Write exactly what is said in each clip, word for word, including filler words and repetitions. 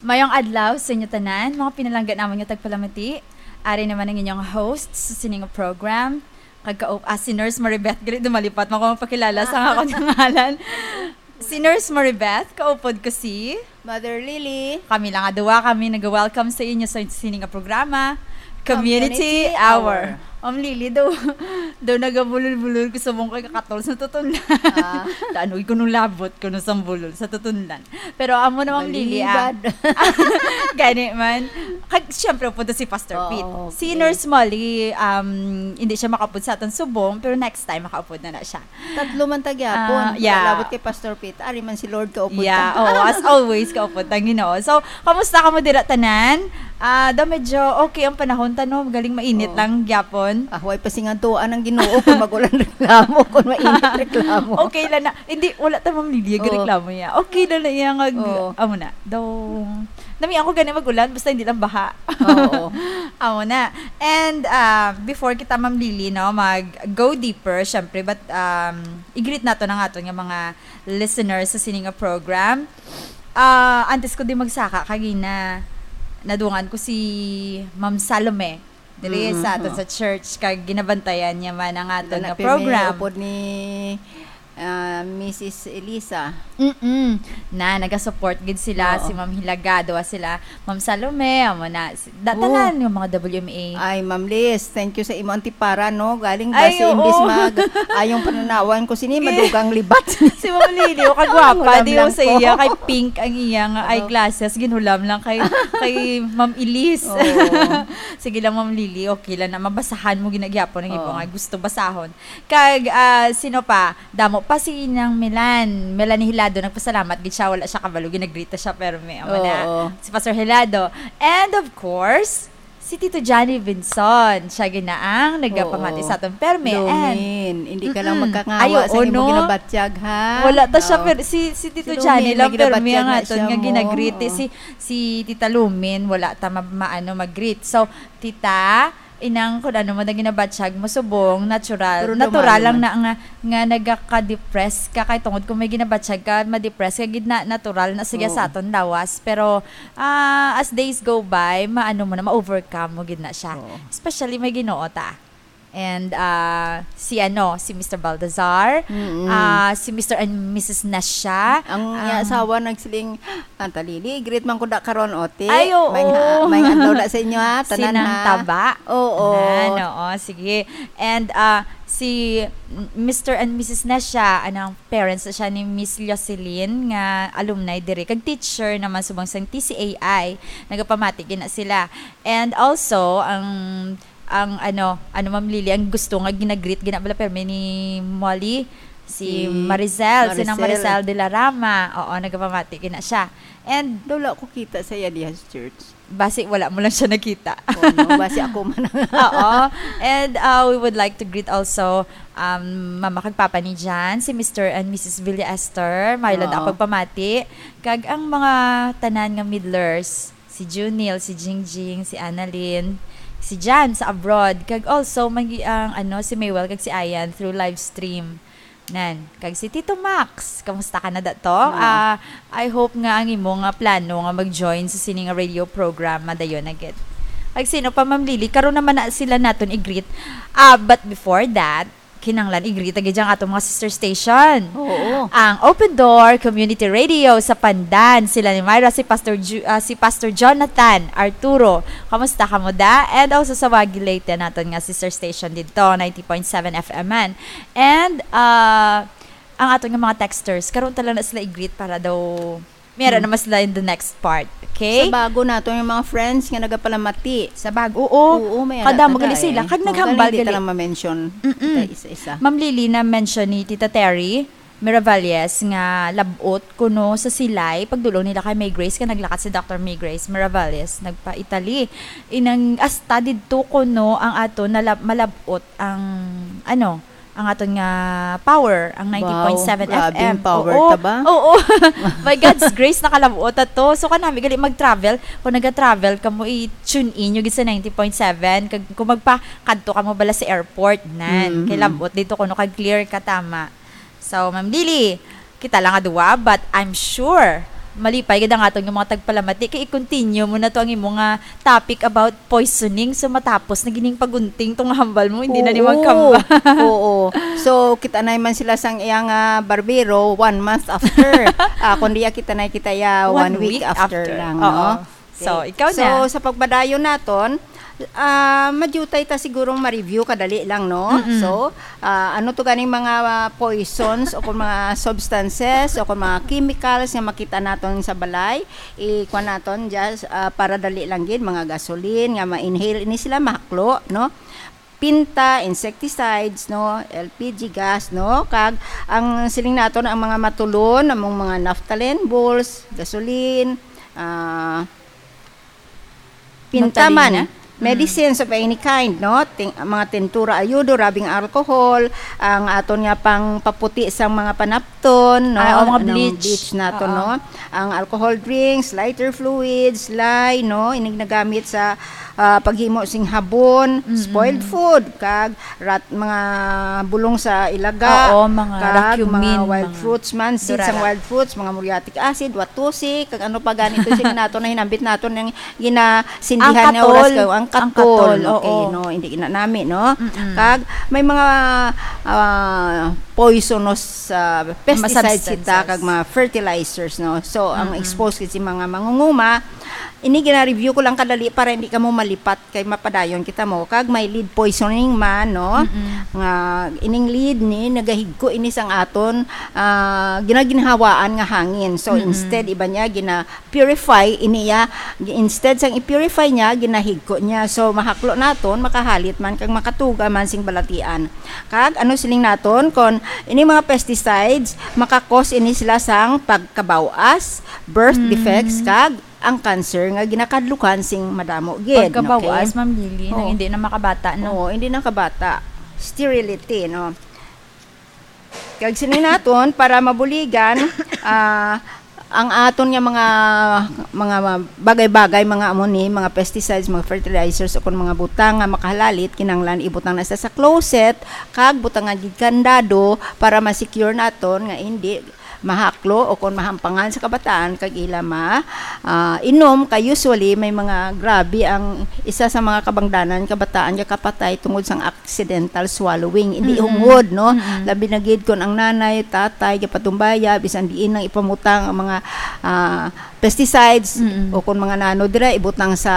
Mayong adlaw sa inyo tanan, mga pinalangga namon nga tagpalamati. Ari naman ang inyong host sa sini nga program. Kag kaup-, ah, si Nurse Maribeth, gali dumalipat man ko magpakilala sa akon nga ngalan. Si Nurse Maribeth, kaupod ko si Mother Lily. Kami lang nga duwa, kami nag-welcome sa inyo sa sini nga programa, Community Community Hour. Hour. Ma'am Lily, daw, daw nagabulol-bulol ko subong kay kakatol sa tutunlan. Ah. Daan, uy, kuno labot, kuno sang bulol sa tutunlan. Pero amo na, Ma'am Lily, ah. Balibad. Gani man. Kag, syempre, upod si Pastor Oo, Pete. Si okay. Nurse Molly, um, hindi siya makaupod sa aton subong, pero next time, makaupod na na siya. Tatlo man ta gyapon. Ah, yeah. Labot kay Pastor Pete. Ari man si Lord kaupod Yeah, ta. Oo, as always, kaupod ta ang Ginoo. So, kamusta kamo dira tanan? Ah, daw medyo okay ang panahon ta, no? Galing mainit Oo. lang gyapon. Ah, way pa singadtuan ang Ginoo kung mag-ulan reklamo, kung mainit reklamo. Okay lang na. Hindi, wala ta, Ma'am Lily, Oo. reklamo niya. Okay lang na iya nga, Oo. amo na. Daw, nami ako gani mag-ulan, basta hindi lang baha. Oo. Amo na. And, ah, before kita, Ma'am Lily, no, mag-go deeper, syempre, but, um, i-greet nato na nga aton nga mga listeners sa sini nga program. Ah, antes ko di magsaka, kagina, nadungan ko si Ma'am Salome diri Mm, sa aton mm. sa church, kag ginabantayan niya man ang aton Wala nga na pirmi program. upod ni, ah, Missus Elisa. Mm-mm. Na, nagasupport gid sila, Oo. si Ma'am Hilagado, ah, sila, Ma'am Salome, amo na, si, da-, Oo. tanan nga mga W M A. Ay, Ma'am Liz, thank you sa imo antipara, no? Galing ba Ay, si oo. imbis mag-, ayong pananawan ko sini, Gi- madugang libat. Si Ma'am Lily, o, kagwapa, Hulam di lang o sa ko. iya, kay pink ang iya nga Ano? eyeglasses, ginhulam lang kay, kay Ma'am Elise. Oo. Sige lang, Ma'am Lily, okay lang na, mabasahan mo ginagyapon ang ibo Oo. nga gusto basahon. Kag, ah, sino pa? Damo pa si Nang Milan. Melanie Hilado, nagpasalamat gid siya, wala siya kabalo, ginagrita siya, pero may, amo na. Oo. Si Pastor Hilado. And of course, si Tito Johnny Vinson. Siya ginaang nagapamati Oo. sa aton permi. And Lumin, hindi ka lang Mm-mm. magkangawa Ay, oo, sa imo no? ginabatyag, ha? Wala ta siya, Oo. pero si, si Tito Si Johnny Lumin, lang, may permi ginabatyag ang na aton siya nga mo. ginagriti. Oo. Si, si Tita Lumin, wala ta ma-, maano mag-greet. So, Tita, inang kung ano mo na ginabatyag mo, subong, natural. Pero Natural dumayo lang man. na nga, nga nagaka-depress ka. Kay tungod kung may ginabatyag ka, ma-depress ka, gid na, natural na siya Oo. sa aton lawas. Pero, ah, as days go by, maano mo na, ma-overcome mo gid na siya. Oo. Especially may Ginoo ta. And, ah, si ano, si Mister Baltazar, Mm-mm. ah, si Mister and Missus Nasha, Ang iya um, asawa nagsiling, "Ang talili, greet man ko da karon, ote. Ay, oo. May ha-, may adlaw na sa inyo, ha, Si tanan, Nang ha." Taba. Oo. Tanan, oo, sige. And, ah, si Mister and Missus Nasha, anang parents na siya ni Miss Jocelyn, nga alumni diri, kag teacher naman subong sang T C A I, nagapamati gina sila. And also, ang, ang ano, ano, Ma'am Lily, ang gusto nga ginagreet gina bala permi ni Molly, si Si Maricel, si Nang Maricel. Maricel de la Rama. Oo, nagapamati gina siya. And Daw wala ko kita sa iya diha sa church. Basi wala mo lang siya nakita. Oo, no? Basi ako man ang Oo. And, uh, we would like to greet also, um, Mama kag Papa ni Jan, si Mister and Missus Villa Esther. Mayo lang Oo. ako pagpamati. Kag ang mga tanan nga Middlers, si Junil, si Jingjing, si Annalyn, si Jan sa abroad. Kag also, may, ang, ano, si Maywell kag si Ayan through live stream. Nan, kag si Tito Max, kamusta ka na dato? Oo. Ah, I hope nga ang imo nga plano nga mag-join sa sini nga radio program, madayon na gid. Kag sino pa, Ma'am Lily? Karon naman na sila naton i-greet. Ah, but before that, kinahanglan i-greet na gid ang atong mga sister station. Oo. Ang Open Door Community Radio sa Pandan, sila ni Myra, si Pastor Ju-, ah, si Pastor Jonathan Arturo. Kamusta ka mo da? And also sa Wagi Leyte naton nga sister station didto, ninety point seven F M man. And, ah, ang aton nga mga texters, karon ta lang na sila i-greet para daw may ara Mm. naman sila in the next part. Okay? Sa bago nato yung mga friends nga nagapalamati. Sa bago, oo. Oo, may ara Kadamo taga gali sila. eh. Kag Oh, naghambal gali, di gali. ta lang ma-mention. Mm-mm. Kita isa-isa. Ma'am Lily, na-mention ni Tita Terry Miravalles nga labot kuno sa Silay, pagdulong nila kay May Grace, ka naglakat si Doctor May Grace Miravalles, nagpa-Italy. Inang, hasta didto kuno ang ato nalab-, malabot ang, ano, ang aton nga power, ang ninety point seven Wow, grabe F M. yung power Oo, ta ba? oo. By God's grace, nakalabot ta to. So, kanami, gali mag-travel. Kung naga-travel ka mo, i-tune in nyo gid sa ninety point seven. Kag, kung magpakadto ka mo bala sa airport, nan. Mhm. Kay labot dito, kuno kag clear ka, tama. So, Ma'am Lily, kita lang nga duwa, but I'm sure Malipay gid ang aton nga mga tagpalamati kay i-continue mo na to ang imo nga topic about poisoning. So, matapos na gining pagunting tong hambal mo, hindi na ni Oo. magkamba. Oo. So, kita na man sila sang iya nga barbero one month after. Ah, kundi ya kita na kita ya One one week week after after. lang, Oo. no? So, Okay. ikaw So, na. sa pagpadayon naton, ah, madutay ta siguro ma-review kadali lang, no? Mm-mm. So, ah, ano to ganing mga, ah, poisons o kung mga substances o kung mga chemicals nga makita naton sa balay, ikuha naton just, ah, para dali lang gid, mga gasoline nga ma-inhale ini sila, mahaklo, no? Pinta, insecticides, no? L P G gas, no? Kag ang siling naton ang mga matulon, among mga naphthalene balls, gasoline, ah, pinta man, Magtalina? Mm. medicines of any kind, no? Ting-, mga tintura, ayudo, rubbing alcohol, ang aton nga pang paputi sang mga panapton, no? Ah, o, mga Anong bleach. bleach naton, Oo. no? Ang alcohol drinks, lighter fluids, lye, no? Inig nagamit sa, ah, paghimo sing habon, Mm-mm. spoiled food, kag rat, mga bulong sa ilaga, Oo, mga kag racumin, mga wild mga fruits man, seeds sang durara. wild fruits, mga muriatic acid, watusi, kag ano pa ganito sila nato na hinambit nato ng ginasindihan Ang nga oras katol. kayo. Ang Ang katol, katol, okay, oo. no, hindi ginanami, no? Mm-mm. Kag may mga, ah, poisonous, ah, Mga pesticides kita, substances. kag mga fertilizers, no? So, ang Mm-mm. exposed kasi mga mangunguma, ini gina-review ko lang kadali para hindi ka mo malipat kay mapadayon kita mo. Kag may lead poisoning man, no? Mm-mm. Nga ining lead ni nagahigko ini sang aton, ah, ginaginhawaan nga hangin. So, Mm-mm. instead, iba niya, gina-purify ini ya. Instead sang i-purify niya, ginahigko niya. So, mahaklo naton, makahalit man, kag makatuga man sing balatian. Kag ano siling naton, kon ini mga pesticides, makakos ini sila sang pagkabaw-as, birth Mm. defects, kag ang cancer nga ginakadlukan sing madamo gid, Pagkabawas, okay? Ma'am Lily, nang Oo. hindi na makabata, no? Oo, hindi na kabata. Sterility, no? Kag sini naton, para mabuligan, ah, ang aton nga mga, mga bagay-bagay, mga amo ni, mga pesticides, mga fertilizers, o kung mga butang nga makahalalit, kinahanglan ibutang na sa, sa closet, kag butangan gid kandado para ma-secure naton nga hindi mahaklo o kung mahampangan sa kabataan kag ila ma, ah, inom. Kay usually may mga grabe ang isa sa mga kabangdanan, kabataan nga kapatay tungod sang accidental swallowing, hindi Mm-mm. hungod, no? Mm-mm. Labi na gid kon ang nanay, tatay, gapatumbaya, bisan diin lang ipamutang ang mga, ah, pesticides, Mm-mm. o kon mga nano dira, ibutang sa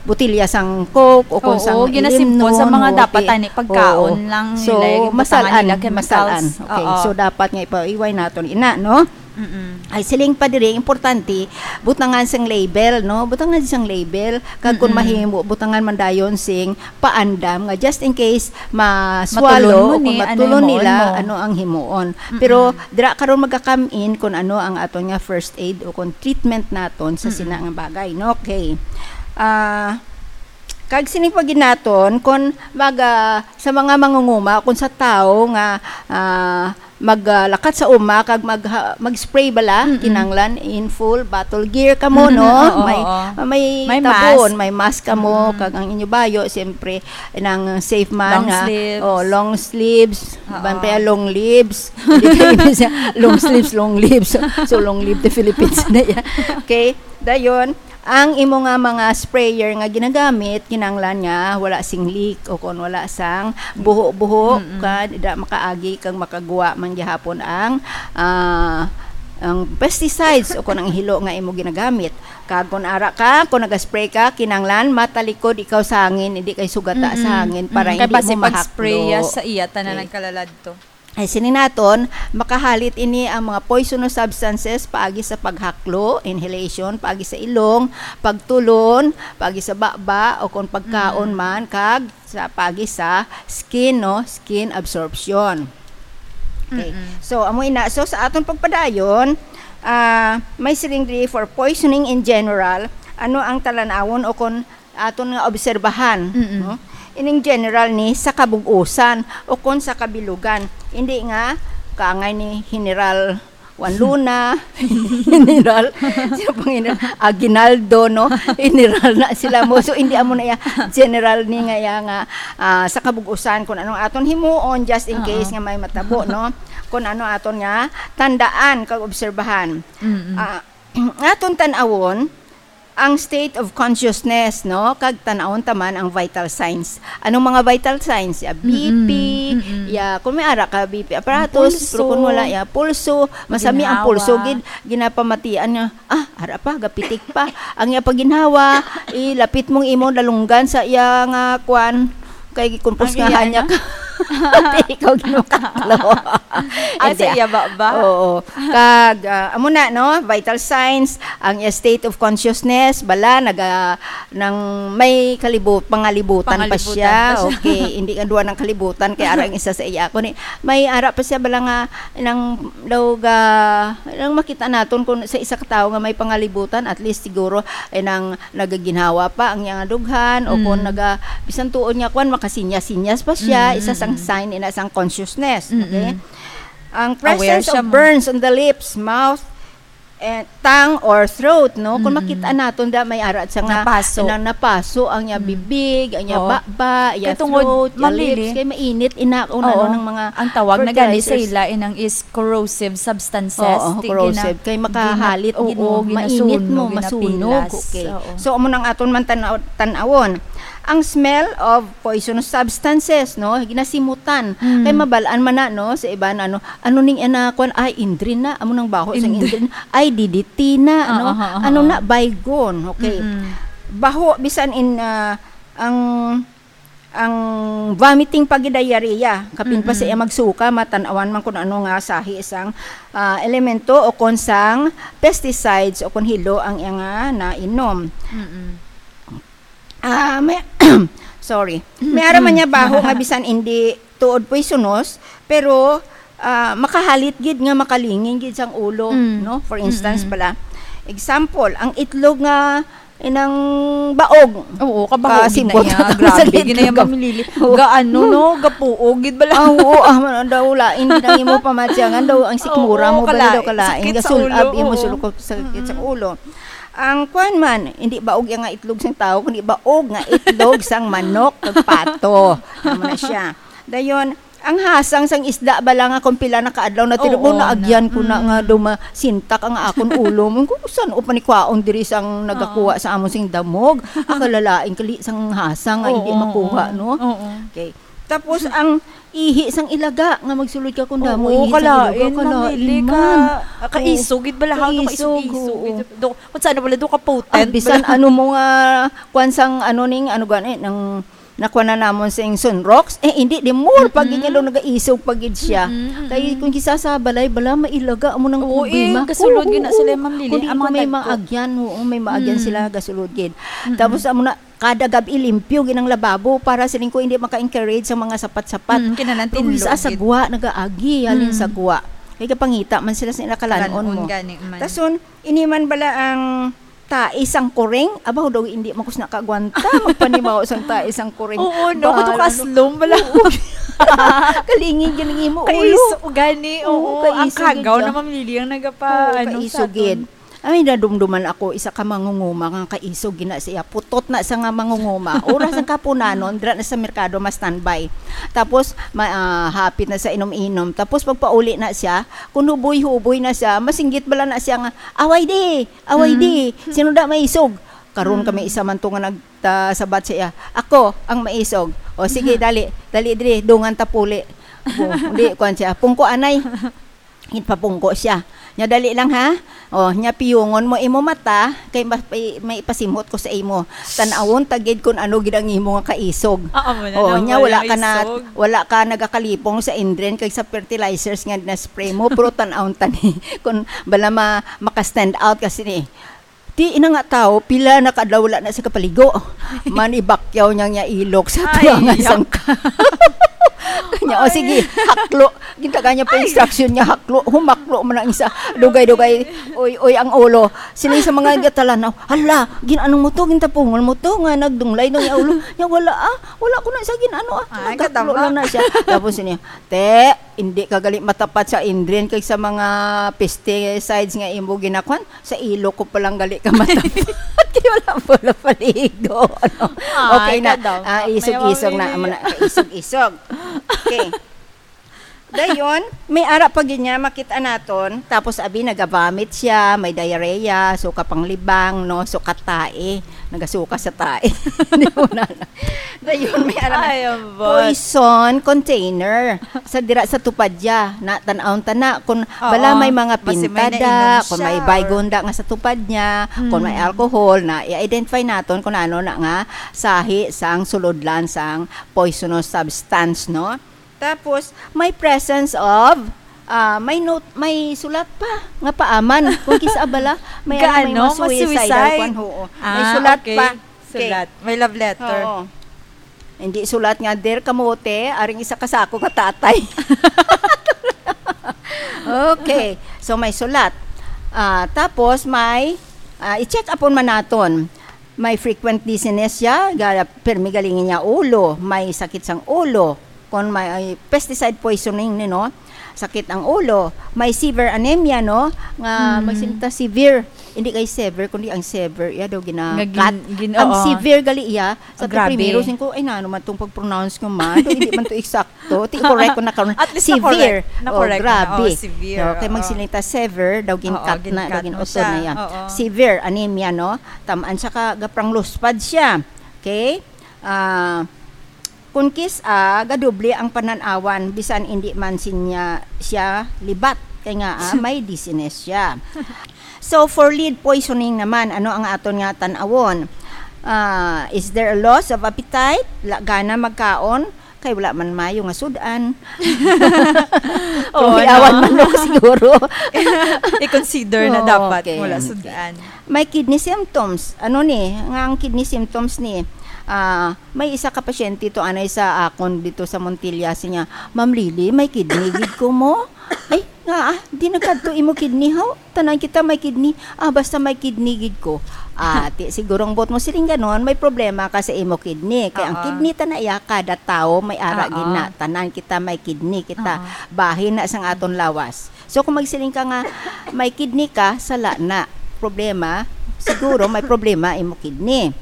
botelya sang Coke, o kon Oo, sang ginasimpon Ilimnon, sa mga o dapat ti-, ani, pagkaon oo. lang So, nila, yung butangan masalan, nila chemicals. masalan. Okay, Oo. so dapat nga ipaiway naton ina, no? Mm-mm. Ay, siling pa diri, importante, butangan sang label, no? Butangan sang label, kag kung Mm-mm. mahimo, butangan man dayon sing paandam nga just in case ma-swallow Matulon mo o kung ni, ano matulon himuon nila, mo? ano ang himuon. Mm-mm. Pero dira karon magakamin kung ano ang aton nga first aid o kung treatment naton sa Mm-mm. sina nga bagay, no? Okay. Ah, kag sini pa gid naton kung mag, ah, sa mga mangunguma, kung sa tawo nga, ah, mag, ah, lakat sa uma kag mag, ha-, mag-spray bala, Mm-mm. kinanglan in full battle gear kamo, no? Oo, May, oo. may May tabon, mask. may mask kamo, Mm-mm. kag ang inyo bayo, siyempre, nang safe man Long nga, sleeves. oh, long sleeves, Oo. ban pa yan, long lives. Hindi kayo siya, long sleeves, long lives. So, so, long live the Philippines na yan. Okay? Dayon, ang imo nga mga sprayer nga ginagamit, kinanglan nga wala sing leak o kung wala sang buho-buho, Mm-mm. ka, da makaagi kang makagwa man gihapon ang, ah, ang pesticides o kung ang hilo nga imo ginagamit. Kag kung ara ka, kung nag-spray ka, kinanglan matalikod ikaw sa hangin, hindi kay sugata sa Mm-mm. hangin para Mm, kay hindi basi mo pag-spray mahaklo. ya sa iya, tanan Okay. ang kalaladto. Ay, sini naton, makahalit ini ang mga poisonous substances paagi sa paghaklo, inhalation, paagi sa ilong, pagtulon, paagi sa baba, o kung pagkaon Mm. man, kag sa paagi sa skin, no? Skin absorption. Okay. Mm-mm. So, amo ina. So, sa aton pagpadayon, ah, may siling diri for poisoning in general, ano ang talanawon o kung aton nga obserbahan, Mm-mm. no? Ining general ni sa kabug-usan o kon sa kabilugan. Hindi nga kaangay ni General Juan Luna, General, sino pang General? Aguinaldo, no? General na sila mo. So, hindi amo na ya general ni nga ya nga, ah, sa kabug-usan kung anong aton himuon just in Oo. case nga may matabo, no? Kung ano aton nga tandaan kag obserbahan. Mm-mm. Ah, Aton tan-awon ang state of consciousness, no? Kag tan-awon ta man ang vital signs. Anong mga vital signs? Ya B P, Mm-mm, mm-mm. ya, kung may ara ka B P apparatus, Ang pulso. pero kung wala, ya, pulso, masami ang Ginhawa. pulso, gid, ginapamatian nga, ah, ara pa, gapitik pa. Ang ya paginhawa, ilapit mong imong dalunggan sa iya nga kwan, kay kumpos Ang nga iya, hanya no? ka. Ikaw ginukatlo. Ah, sa Hindi, ah. iya ba, ba? Oo. Kag, ah, amo na, no? Vital signs, ang iya state of consciousness, bala, naga, nang may kalibu-, pangalibutan pa Pangalibutan siya. pa siya. Okay, hindi nga duwa ng kalibutan, kay ara ang isa sa iya. Kundi, may ara pa siya, bala nga, nang daw ga, nang makita naton kung sa isa ka tawo nga may pangalibutan, at least siguro, eh, nang nagaginhawa pa ang iyang dughan, o kung Mm. naga, bisan tuod nga kwan, makasinyas-sinyas pa siya, Mm, isa sang mm. sign, ina sang consciousness. Mm, Okay? mm. Ang Aware presence siya of mo. burns on the lips, mouth, eh, tongue, or throat, no? Kung Mm, mm. makita naton da, may ara siya nga Napaso. na napaso ang iya Mm. bibig, ang iya Oo. baba, iya Kay tungod, throat, iya Ma'am Lily, lips, kay mainit, ina, kung ano oo. ng mga Ang tawag na gani sa fertilizers. ila, inang is corrosive substances. Oo, Ti-, corrosive. gina-, Kay makahalit gina-, gid oo, mo, mainit ginasunod, mo, masunog. ginapilas. Okay. Oo. So, amo nang aton man tanaw-, tan-awon. Ang smell of poisonous substances, no? Ginasimutan. Mm. Kay mabalaan man na, no? Sa iban, ano, ano ning ana, kwan, ay, indrin na. Amo nang baho sa Indrin. indrin. Ay, D D T na, Oo, no? oo, oo, Ano oo. na, Baygon. Okay. Mm-mm. Baho, bisan in, ah, ang, ang vomiting pag diarrhea. Kapin pa Mm-mm. siya magsuka, matan-awan man kung ano nga sahi sang, ah, elemento o kung sang pesticides o kung hilo ang iya nga nainom. Mm-mm. Ah, may, sorry. May ara man niya baho nga bisan hindi tuod poisonous, pero, ah, makahalit gid nga makalingin gid sang ulo, Mm. no? For instance Mm-mm. pala, example, ang itlog nga inang baog. Oo, kabaho gid na Kasibot. iya. Sa Grabe gid na iya, itlog. Ma'am Lily. Oo. Gaano, Mm. no? Gapuog gid bala. Ah, oo, ah, man, daw lain gid ang imo pamatyangan, daw ang sikmura Oo, mo bala, daw kalain. kalain. Sakit sa Gasul-ab ulo, imo oo. sulukot sa sakit sa Mm-mm. ulo. Ang kwan man, hindi baog iya nga itlog sang tawo, kundi baog nga itlog sang manok kag pato. Amo na siya. Dayon, ang hasang sang isda bala nga kung pila na kaadlaw na Oo, tinuod na na. agyan ko na nga Mm. daw masintak ang akon ulo. Mo, kung saan o panikwaon diri sang nagakuha Oo. sa amon sing damog. Ang kalalaing kali sang hasang nga hindi Oo, makuha, oo. no? Oo. Okay. Tapos ang ihi sang ilaga nga magsulod ka kung damo Oo, ihi sang ilaga, kalain, Ma'am kalain Lily, man. ka-, kaisog, gid bala, ha, Kaisog, kaisog-isog, oo. gid. Do, kung saan na pala, do ka potent, Ah, bisan bala. ano mo nga, kwan sang ano ning, ano gani, nang nakuha na namon sing sunrocks, eh, hindi, di more, pag Mm-mm. gid daw nagaisog pa gid siya. Mm-mm, Kay mm-mm. kung kisa sa balay, bala, mailaga mo ng Oo, problema. eh, kasulod Oo, gid na oo. sila, Ma'am Lily, Kundi ang mga kung may type ko. maagyan, oo, may maagyan Mm. sila, gasulod gid. Mm-mm. Tapos, amo na, kada gab-i limpyo gid ang lababo para siling ko hindi maka-encourage sa mga sapat-sapat. Mm, kinahanglan Pero tinlo isa gid. sagwa nagaagi halin Mm. sagwa. Kay kapangita man sila sa ila kalan-on Kalan-on mo. gani man. Tason, ini man bala ang tae sang kuring, abaw daw hindi man ko sina kagwanta magpanimaw sang tae sang kuring. Oo, no, Ba, kuto ano? kaslom bala. Oo. Kalingig gid ang imo ulo. Kaiso gani, Oo, oo. Ang kaiso gid kagaw siya. na, Ma'am Lily, ang nagapa-, Oo, ano, kaiso sa aton. gid. Ay, nadumduman ako, isa ka mangunguma nga kaisog gina siya. Putot na sa nga mangunguma. Oras ang kapunanon, dira na sa merkado, ma-standby. Tapos, ma-, ah, hapit na sa inom-inom. Tapos, pagpauli na siya, kung huboy-huboy na siya, masinggit bala na siya nga, "Away di! Away Mm. di! Sino da maisog?" Karon Mm. kami isa man to nga nagtasabat sa iya. "Ako ang maisog." "O, sige, Mhm. dali. Dali diri, dungan ta puli." O, di, kuwan siya. "Pungko, anay." Ginpapungko siya. Nya, "Dali lang, ha? O, nya piyungon mo imo mata, kay ma-, may, may ipasimhot ko sa imo. Tan-awon ta gid kun ano gid ang imo nga kaisog. Ah, amo na O, na, nya, wala wala ka na, isog. wala ka nagakalipong sa indren kag sa fertilizers nga na-spray mo, pero tan-awon ta ni kun bala ma-, maka-stand out kasi ni." Ti ina nga tawo, pila na ka adlaw wala na siya kapaligo. Manibakyaw niya niya ilok sa Ay, tuwangan yak. sang ka-, Kanya, "O, Ay. sige, haklo." Gintagaan niya pa Ay. instruction niya, haklo, humaklo man ang isa. Dugay-dugay, uy, uy, ang ulo. Sila sa mga gatalanaw, "Hala, gin-ano mo to? Gintapungon mo to nga nagdunglay no yung ulo?" Niya, "Wala, ah. Wala ko na siya gin-ano, ah. Ay, Nagkaklo kadama. lang na siya." Tapos niya, "Te, hindi ka gali matapat sa indrin kag sa mga pesticides nga imo ginakwan. Sa ilok ko palang gali ka matapat." Kaya wala, wala paligo. Ano? Ay, Okay na. kadam. Ah, May isog-isog na. awili. Amo na, isog-isog. Okay. Dayon, may ara pa gid niya makita naton. Tapos abi nagavomit siya, may diarrhea, suka panglibang, no, suka tae, nagasuka sa tae. Di mo na. Dayon, may ara na. Ay, ambot. Poison container. Sa dira sa tupad ya, na tan-awon ta na kung Oo, bala may mga basi may pintada, nainom kung may siya, baygon da nga sa tupad niya, kung may Mm. alcohol na i-identify naton kung ano na nga sahi sang sulodlan sang poisonous substance, no? Tapos, may presence of, ah, may note, may sulat pa nga paaman. Kung kis-a bala, may ano, may Gaano? Mga suicidal Masuicide? kwan, oo. May Ah, sulat okay. pa. Okay. Sulat. May love letter. Oo. Hindi sulat nga, "Dear Kamote, aring isa ka sako ka tatay." Okay. So, may sulat. Ah, tapos, may, ah, i-check upon man naton. May frequent dizziness siya, ga-, permi galing niya ulo, may sakit sang ulo. Kung may pesticide poisoning, ni, no? Sakit ang ulo, may severe anemia, no? Nga Mm. magsinta severe. Hindi kay severe, kundi ang severe, iya daw gina-, Nga gin-, cut. gin-, Ang oo. severe gali iya, sa Ah, grabe. primero, sing ko, "Ay, nano man tong pag-pronounce ko man? Daw hindi man to eksakto." Ti, correct ko na karon. At least Severe. na-correct. Na-correct Oh, na. grabe. Oh, severe. Okay, Oo. magsinita severe, daw Oo, gin-cut na, daw gin-cut mo gin-uton siya. na iya. Oo. Severe anemia, no? Tamaan siya ka, gaprangluspad siya. Okay? Ah, kung kis-a, gadoble ang panan-awan, bisan hindi man sinya, siya libat. Kay nga, ah, may dizziness siya. So, for lead poisoning naman, ano ang aton nga tan-awon? Ah, is there a loss of appetite? La gana magkaon? Kay wala man mayo nga sud-an. Oo, Kung hiyawan no? man, no, siguro. I-consider na Oo, dapat okay, wala okay. sud-an. May kidney symptoms. Ano ni? Nga ang kidney symptoms ni, ah, may isa ka pasyente to anay sa akon dito sa Montilla, siya, "Ma'am Lily, may kidney gid ko mo." Ay, nga, ah, di nagkadto imo kidney, ho? Tanan kita may kidney. Ah, basta may kidney gid ko. Ah, ti, siguro ang buot mo siling ganon, may problema ka sa imo kidney. Kay ang Oo. kidney ta na iya, kada tawo may ara Oo. gid na. Tanan kita may kidney, kita Oo. bahin na sang aton lawas. So, kung magsiling ka nga may kidney ka, sala na. Problema, siguro may problema imo kidney.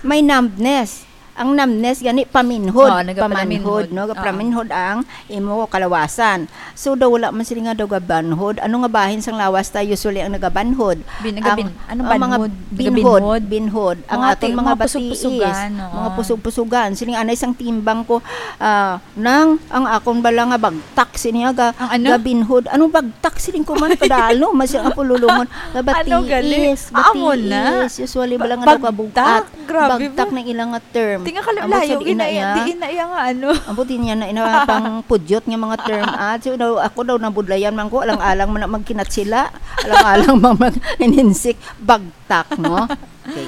May numbness. Ang numbness gani paminhod, Oo, nagapaminhod. pamanhod, no? Oo. Gapaminhod ang imo kalawasan. So, daw wala man sila nga daw gabanhod. Ano nga bahin sang lawas ta usually ang nagabanhod? Bin-, Ang, nagabin-, ano, ang mga banhod? binhod, Nagabinhod? binhod. Ang Mga aton ti-, mga mga batiis, pusog-pusugan, oo. mga pusog-pusugan. Sila nga anay sang timbang ko, ah, nang ang akon bala nga bagtak, sini nga ga-, Ang ano? gabinhod. Anong bagtak? Siling ko man, kadalo, mas yung apululungon. Nga Ano gali? batiis, Ah, amo na? batiis. Usually, Ba-, bala nga daw bagtak? kabugat. Grabe Bagtak ba? na ilang nga term. Di nga kalim-, Ambot layo, sa di ina na iya, iya. di ina iya nga ano. Ambot din niya na ina pang pudyot nga mga term. Ah, so, daw, ako daw nabudlayan man ko, alang-alang man na magkinatsila, alang-alang man mag-, ininsik, bagtak, no? Okay.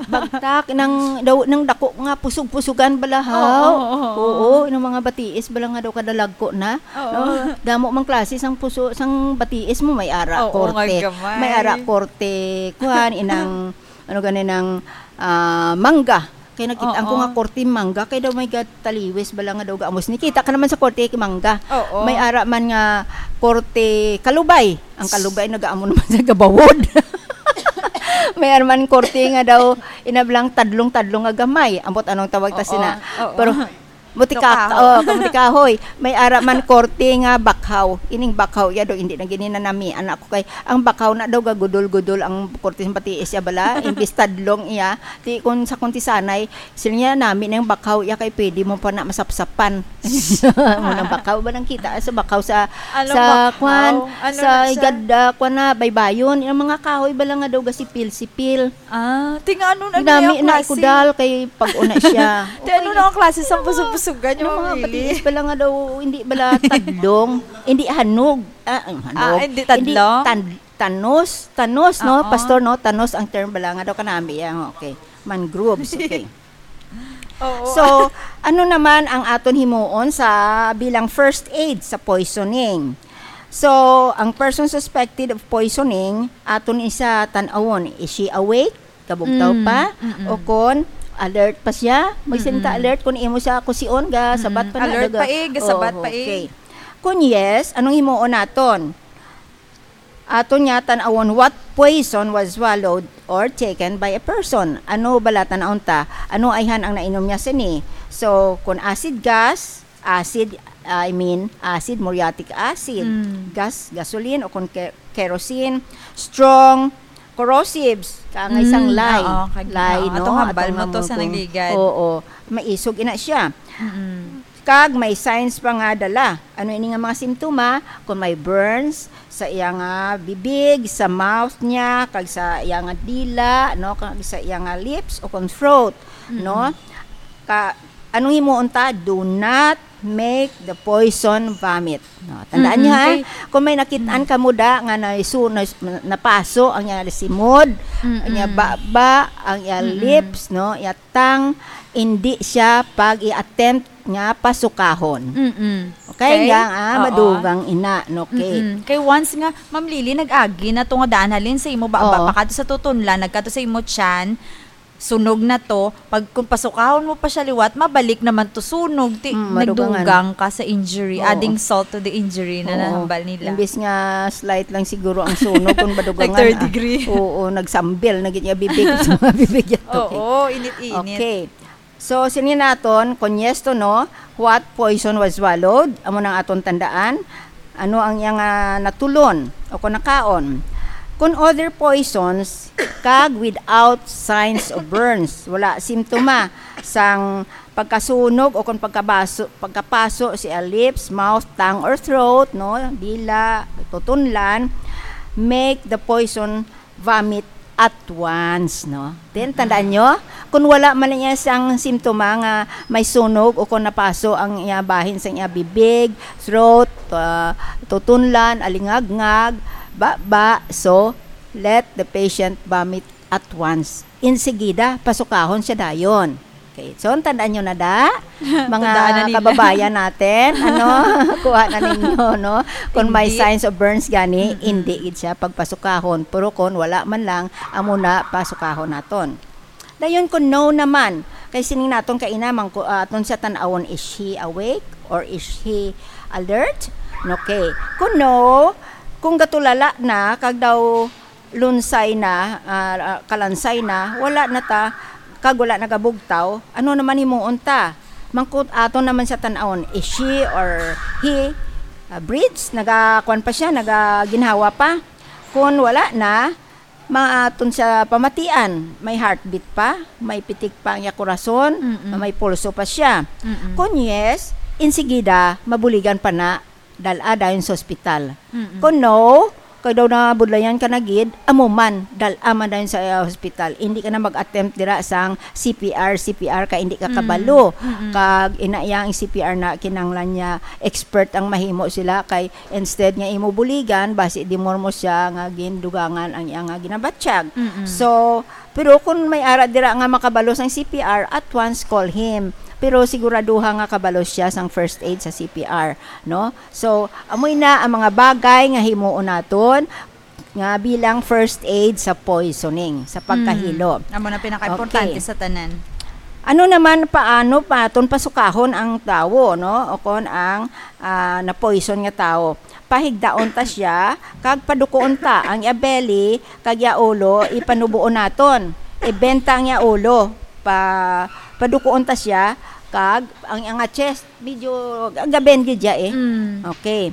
Bagtak, nang, daw, nang dako nga, pusog-pusugan bala, haw. Oo, oo, oo. Oo, yung mga batiis bala nga daw kadalagko na. Oo. No? Damo mang klase sang puso, sang batiis mo, may ara Oo, korte. nga gamay. May ara korte, kuhan, inang, ano gani nang, ah, mangga. Kay nakita ko Oo. nga korte mangga, kay daw may gataliwis bala nga daw gaamos. Nikita ka naman sa korte kay mangga. Oo. May ara man nga korte kalubay. Ang kalubay nagaamo naman sa gabawod. May ara man korte nga daw inablang tadlong-tadlong nga gamay. Ambot anong tawag ta Oo, sina. oo. Pero Mutikak-, Kahoy. oh, kamuti kahoy. May ara man korte nga bakhaw. Ining bakhaw iya daw, hindi na gini nanami. Anak ko kay, ang bakhaw na daw gagudol-gudol ang korte sa pati siya bala. Imbis tadlong iya. Ti kun sa kuntisanay, sila niya nami na yung bakhaw iya kay pwede mo pa na masapsapan. Muna bakhaw ba nang kita sa bakhaw sa, Anong sa bakhaw? kwan, Ano sa na siya? igad, ah, kwan na, baybayon. Yung mga kahoy bala nga daw gasipil-sipil. Ah, ti nga ano, ano Ginami yung na klase? ikudal kay pag-una siya. Ti ano Okay. na ang klase sa Ano mga, busog-busugan yung ano mga mabili? patiis pala nga daw, hindi bala tadlong, hindi hanog. Ah, ang hanog. Ah, hindi Hindi tadlong? tan-, tanos, tanos, no? Oo. Pastor, no? Tanos ang term bala nga daw kanami. Yan, okay. Mangroves, okay. Oo. So, ano naman ang aton himuon sa bilang first aid sa poisoning? So, ang person suspected of poisoning, aton isa tan-awon, is she awake? Kabugtaw Mm, pa? mm-mm. O kon, alert pa siya? Magsinta Mm-mm. alert kung imo siya kusion, ga, sabat Mm-mm. pa na, Alert daga. pa eh, gasabat Oo, pa eh. okay. Kung yes, anong himuon naton? Aton nga tan-awon, what poison was swallowed or taken by a person? Ano bala tan-awon ta? Ano ayhan ang nainom niya sini? So, kung acid gas, acid I mean, acid, muriatic acid, Mm. gas, gasoline, o kon ke-, kerosene, strong corrosives, kangay sang Mm, lye. Oo, kag-, Lye, oo, no? Atong hambal Atong mo to nga sa mungkong. Nagligad. Oo, maisog ina siya. Mm-mm. Kag may signs pa nga dala. Ano ini nga mga simptoma? Kung may burns sa iya nga bibig, sa mouth niya, kag sa iya nga dila, no, kag sa iya nga lips o kon throat, Mm-mm. no? Ka, anong himuon ta? Do not make the poison vomit. No, tandaan Mm-mm. niyo, ha? Kay Kung may nakit-an Mm. kamo da nga naisu-, nas-, napaso ang iya simod, Mm-mm. ang iya baba, ang iya Mm-mm. lips, no, iya tang, hindi siya pag i-attempt nga pasukahon. Mm-mm. Okay, Kay, nga, ah, oo. madugang ina, no, okay. Mm-mm. Kay once nga, Ma'am Lily, nag-agi na to nga daan halin sa imo baba, Oo. pakadto sa tutunlan, nagkadto sa imo tiyan, sunog na to. Pag, kung pasukahon mo pa siya liwat, mabalik naman to sunog. Ti-, Mm, madugangan. nagdugang ka sa injury, Oo. adding salt to the injury na Oo. nahambal nila. Imbis nga slight lang siguro ang sunog, kung madugangan, Nag third ah. degree. Oo, nagsambil na gid niya bibig sa mga bibig niya to, eh. Oo, init-init. Okay. So, sini naton, kung yes to no, what poison was swallowed? Amo nang aton tandaan. Ano ang iyang, ah, natulon o kung nakaon? Kung other poisons, kag without signs of burns, wala simptoma sang pagkasunog o kung pagkabaso, pagkapaso sa lips, mouth, tongue, or throat, no? Dila, tutunlan, make the poison vomit at once, no? Then, Mm-mm. tandaan nyo, kung wala man niya siyang simptoma nga may sunog o kung napaso ang iya bahin sa iya bibig, throat, ah, tutunlan, alingagngag, baba, so, let the patient vomit at once. Insigida, pasukahon siya dayon. Okay. So, tandaan nyo na da, mga Tandaan na nila. kababayan natin, ano, kuha na ninyo, no? Kung may Hindi. signs of burns gani, Mm-mm. hindi gid siya pagpasukahon. Pero kung wala man lang, amo na, pasukahon naton. Dayon, kung no naman, kay sining naton kaina, mangku-, ah, aton siya tan-awon, is he awake or is he alert? Okay. Kung no, kung gatulala na, kag daw lunsay na, ah, ah, kalansay na, wala na ta, kag wala nagabugtaw, ano naman himuon ta? Mangkot ato naman sa tan-awon, is she or he, ah, breathes, nagakuan pa siya, nagaginhawa pa. Kung wala na, maaton sa pamatian, may heartbeat pa, may pitik pa ang iya korason, Mm-mm. may pulso pa siya. Mm-mm. Kung yes, insigida, mabuligan pa na dal-a dayon sa ospital. Mm-mm. Kung no, kay daw nabudlayan ka na gid, amo man, dal-a man dayon sa, uh, hospital. Hindi ka na mag-attempt dira sang C P R, C P R, kay hindi ka Mm. kabalo. Mm-mm. Kag ina iya ang C P R na kinahanglan niya expert ang mahimo sila, kay instead nga imo buligan, basi di mo mo siya nga gindugangan ang iya nga ginabatyag. Mm-mm. So, pero kung may ara dira nga makabalo sang C P R, at once call him. Pero siguraduha nga kabalo siya sang first aid sa C P R, no? So, amoy na ang mga bagay nga himuon naton nga bilang first aid sa poisoning, sa pagkahilo. Mm. Amo na pinakaimportante Okay. sa tanan. Ano naman, paano pa aton pasukahon ang tawo, no? O kon ang, ah, na-poison nga tawo? Pahigdaon ta siya, kag padukuon ta ang iya belly, kag iya ulo, ipanubuon naton. Ibenta ang iya ulo, pa, padukuon ta siya, kag ang iya nga chest, medyo gaben gid siya eh. Mm. Okay.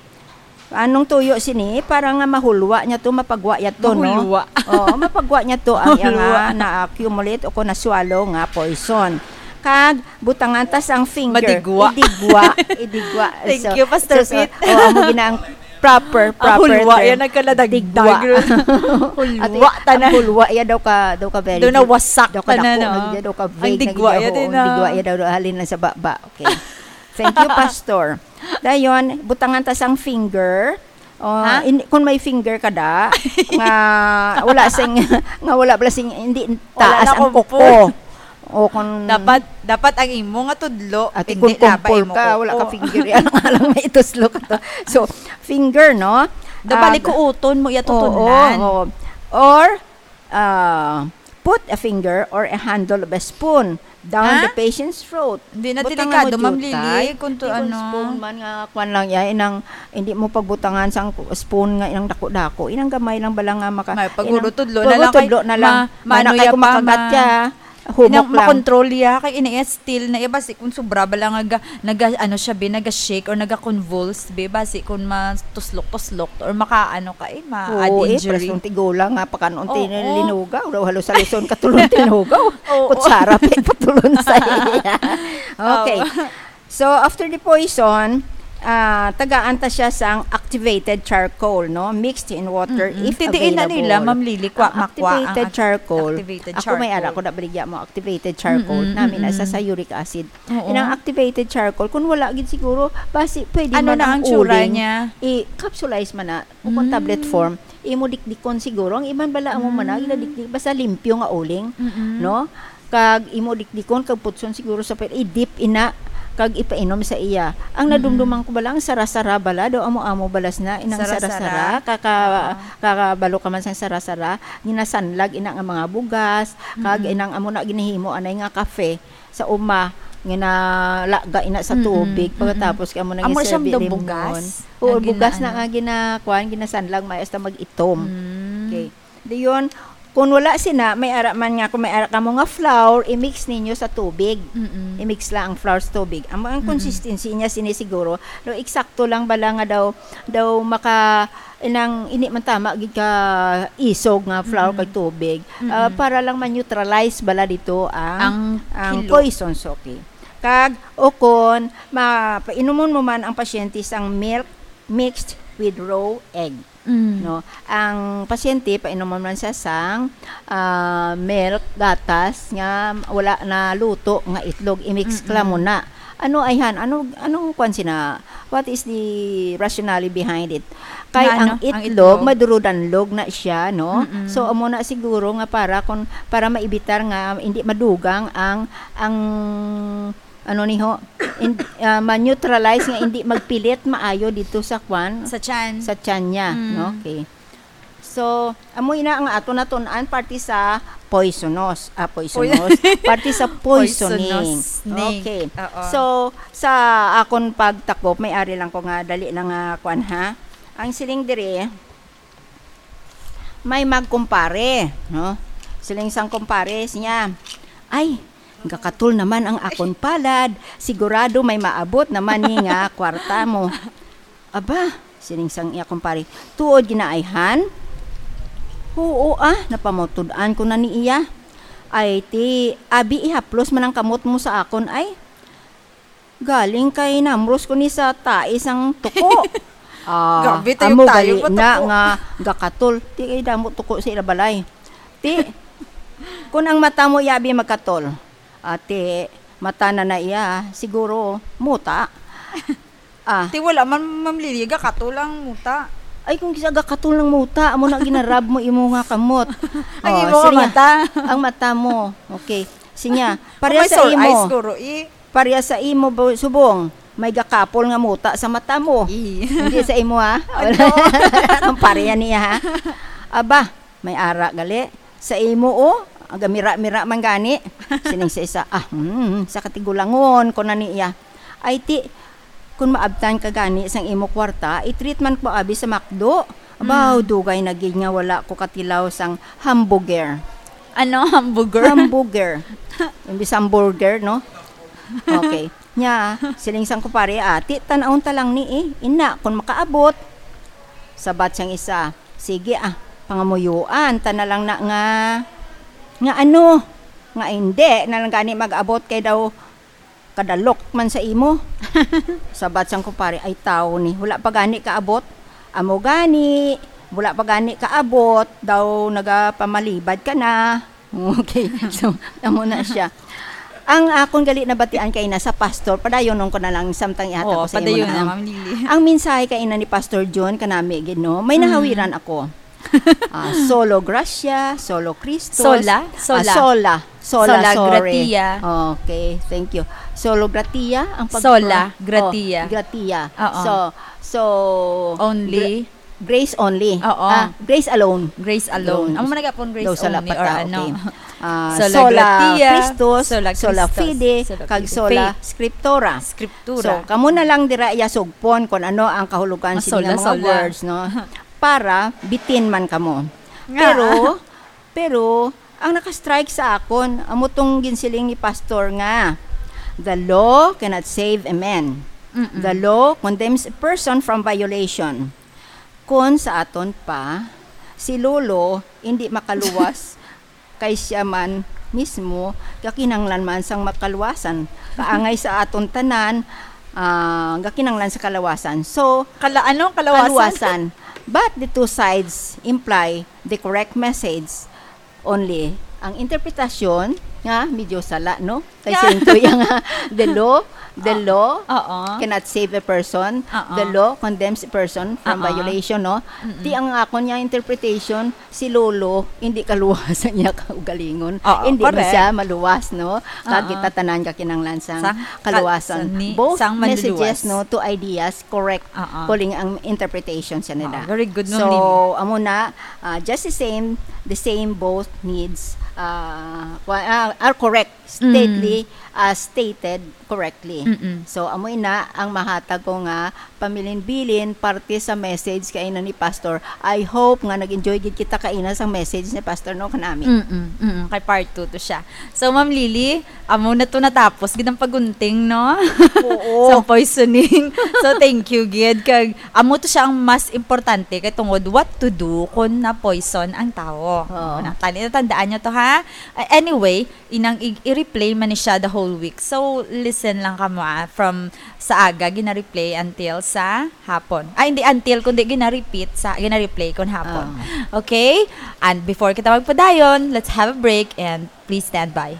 Anong tuyo sini? Para nga mahulwa niya to, mapagwa niya to, no? Mahulwa. Oo, mapagwa niya to ang iya nga Mahulwa. na-accumulate o kung na-swallow nga poison. Kag butangan ta sang finger. Madigwa. Idigwa. Idigwa. Thank So, you, Pastor so, so, Pete. oh, amo gina ang proper, Ang proper hulwa, term. yan, nagkaladagdag. Digwa. Hulwa, Ate, tanan. ang hulwa, yan daw ka, daw ka very Daw good. nawasak, Daw ka tanan, dako, no? nag-, daw ka Ang vague, digwa, nag-, yan, oo, din, ang digwa, ah. yan daw, halin lang sa baba. Okay. Thank you, Pastor. Dayon, butangan ta sang finger. Oh, Ha? in-, kung may finger ka da, nga wala sing, nga wala pala sing, hindi Wala taas na ang kumpol. kuko. O kung Dapat, dapat ang imo nga tudlo, Ate, hindi kung na ba kumpol imo ka, wala ka kuko? finger, yan nga lang may ituslo ka to. So, finger, no? Dapat Ah, likuuton mo, iya Oo, tutunan. oo. Or, ah, put a finger or a handle of a spoon down Ha? the patient's throat. Hindi na Butangan delikado, mo, Ma'am Lily, jutay. kung to Di kung ano. spoon man nga, kwan lang yan, inang, hindi mo pagbutangan sang spoon nga inang dako-dako. Inang gamay lang bala nga maka-, May inang paghulo-tudlo na lang kay tudlo na lang. ma-, Mana maano kay ya kung pa, makagat ma- ya. Humok lang. Makontrol iya, kay ina iya still na iya, basi kung sobra bala nga ga-, naga-, ano siya, be, naga-shake or naga-convulse, be, basi kung matuslok-tuslok or makaano ka, eh, ma-add injury. Oo, eh, pares nung tigulang nga, pakanon ti linugaw, daw halos-haluson katulon tinugaw. Oo. Kutsara, pe, patulon sa iya. Okay. Oo. So, after the poison, ah, tagaan ta siya sang activated charcoal, no? Mixed in water, if available. Ti diin na nila, Ma'am Lily, kwa-, makuha ang activated charcoal. Ako may ara ko, nabaligya mo activated charcoal. Nami na sa, sa uric acid. Oo. Inang activated charcoal, kung wala gid siguro, basi pwede man ang uling. Ano na ang tsura niya? I-capsulize man na, o kung tablet form, imo dikdikon siguro. Ang iban bala amo man na, ginadikdik, basta limpyo nga uling, no? Kag imo dikdikon, kag putson siguro sa pwede, i-dip ina, kag ipainom sa iya. Ang nadumduman ko bala, ang sara-sara bala, daw amo-amo balas na, inang sara-sara, kaka-, kakabalo ka man sang sara-sara, ginasanlag ina nga mga bugas, kag inang amo na ginahimo anay nga kafe sa uma, ginalaga ina sa tubig, pagkatapos kay amo na gisirbi limon. Amo siyang daw bugas? Oo, bugas na nga ginakuan, ginasanlag, may hasta mag-itom. Okay. Dayon, kung wala sina, may ara man nga, kung may ara kamo nga flour, i-mix ninyo sa tubig. I-mix lang ang flour sa tubig. Ang, ang consistency niya sini siguro, no, eksakto lang bala nga daw, daw maka, inang, hindi man tama gid ka isog nga flour kag tubig. Ah, para lang ma-neutralize bala dito ang, ang poisons, okay. Kag, o kon, ma-, painomon mo man ang pasyente sang milk mixed with raw egg. No, ang pasyente, painomon man siya sang, ah, milk, gatas nga wala na luto nga itlog, i-mix lang mo na. Ano, ayhan? Ano, anong kwan sina? What is the rationale behind it? Kay ang itlog, madurudanlog na siya, no? So, amo na siguro nga para kun, para maibitar nga hindi madugang ang, ang ano ni ho, in, ah, ma-neutralize nga hindi magpilit maayo dito sa kwan, sa tiyan. Sa tiyan niya, no? Okay. So, amo ina nga ato natun-an parte sa poisonous, ah, poisonous, parte sa poisoning. Poisonous. Okay. Oo. So, sa akon pagtakop, may ari lang ko nga dali lang nga kwan, ha. Ang siling diri, may magkumpare, no? Siling sang kumpare niya, "Ay, gakatol naman ang akon palad. Sigurado may maabot naman ni nga kwarta mo." "Aba," siling sang iya kumpare, "tuod ginaayhan?" "Oo, ah, napamatud-an ko na ni iya." "Ay, ti, abi ihaplos man ang kamot mo sa akon, ay." "Galing kay namros ko ni sa tai sang tuko." Ah, amo gali na nga gakatol. Ti kay damo tuko sa ila balay. Ti, kun ang mata mo yabi magkatol. Ati, mata na na iya, siguro, muta. Ah. Ti wala man, Ma'am Lily, gakatol ang muta. Ay, kung kisa gakatol ng muta, amo na ginarab mo imo nga kamot. Ang imo nga mata. Ang mata mo. Okay. Sinya, pareha sa imo. Kung may sore eyes, siguro, eh. Pareha sa imo, bu-, subong, may gakapol nga muta sa mata mo. Ih. Hindi sa imo, ha? Ano? Ang pareha niya, ha? Aba, may ara gali. Sa imo, oh, ang gamira-mira man gani. Sining sa isa, "Ah, hmm, sa katigulangon ko na niya." "Ay, ti, kung maabtan ka gani sang imo kwarta, i-treatment mo abi sa McDo." Abaw, dugay na gid nga wala ko katilaw sang hamburger. Ano, hamburger? Hamburger. Imbis hamburger, no? Okay. Nya, siling sang kumpare, "Ati, tan-awon ta lang ni, eh. Ina, kung makaabot." Sabat sang isa, "Sige, ah, pangamuyuan ta na lang na nga, nga ano, nga hindi na lang gani mag-abot kay daw kadalok man sa imo." Sabat sang kumpare, "Ay, tawo ni, wala pa gani kaabot." "Amo gani, wala pa gani kaabot, daw nagapamalibad ka na." Okay, so, amo na siya. Ang akon gali nabatian kay na sa pastor, padayonon ko na lang samtang ihatag ko sa imo na, Ma'am Lily. Ang mensahe kay ina ni Pastor John kanami gid, no? May nahawiran ako. Ah, solo gracia, solo Christus. Sola? Ah, sola. Sola. Sola, sola, sorry. Gratia. Okay, thank you. Solo gratia ang pag- Sola, oh, gratia. Gratia. Oo. So, so, only? Gra-, grace only. Oo. Ah, grace alone. Grace alone. Alone. Amo man nagapon grace only or ano? Okay. Ah, sola, sola gratia, Christus, sola, sola Christus, fide, sola kag fide, sola faith, scriptura. Scriptura. So, kamo na lang dira iya sugpon kung ano ang kahulugan sa mga words, no? Para bitin man kamo. Nga. Pero, pero, Ang naka-strike sa akon, amo tong ginsiling ni Pastor nga, "The law cannot save a man. Mm-mm. The law condemns a person from violation." Kon sa aton pa, si Lolo hindi makaluwas kay siya man mismo gakinahanglan man sang makaluwasan. Kaangay sa aton tanan, ah, gakinahanglan sa kalawasan. So, Kala-, ano? Kalawasan? Kaluwasan. But the two sides imply the correct message. Only, ang interpretasyon nga medyo sala, no? Kay Yeah. sento yang, ah, the law, the Oo. law Oo. cannot save a person. Oo. The law condemns a person from Oo. violation, no? Mm-mm. Ti ang akon nga interpretation, si Lolo, hindi kaluwasan niya kaugalingon. Oo, Hindi man correct. siya maluwas, no? Kag Oo. kita tanan gakinahanglan sang Sang kal-, kaluwasan. sang ni-, Both sang messages, manluluwas. no, to ideas, correct. Oo. Kuling ang interpretation siya nila. Oo, very good, Ma'am So, Lily. amo na, ah, just the same, the same both needs, ah, wa-, ah, are correct, Mm. stately, ah, stated correctly. Mm-mm. So, amo ina ang mahatag ko nga pamilinbilin parte sa message kaina ni Pastor. I hope nga nag-enjoy gid kita kaina sa message ni Pastor, no, kanami. Mm-mm, mm-mm. Kay part two to siya. So, Ma'am Lily, amo na to natapos gid ang pagunting, no? Oo. Sa poisoning. So, thank you gid. Kag amo to siya ang mas importante kay tungod what to do kung na-poison ang tawo. Oo. Ano, tani, natandaan nyo to, ha? Uh, anyway, inang i-, i-replay man ni siya the whole week. So, listen lang kamo, ah, from sa aga, gina-replay until sa hapon. Ay, hindi until, kundi gina-repeat sa, gina-replay kon hapon. Oo. Okay? And before kita magpadayon, let's have a break and please stand by.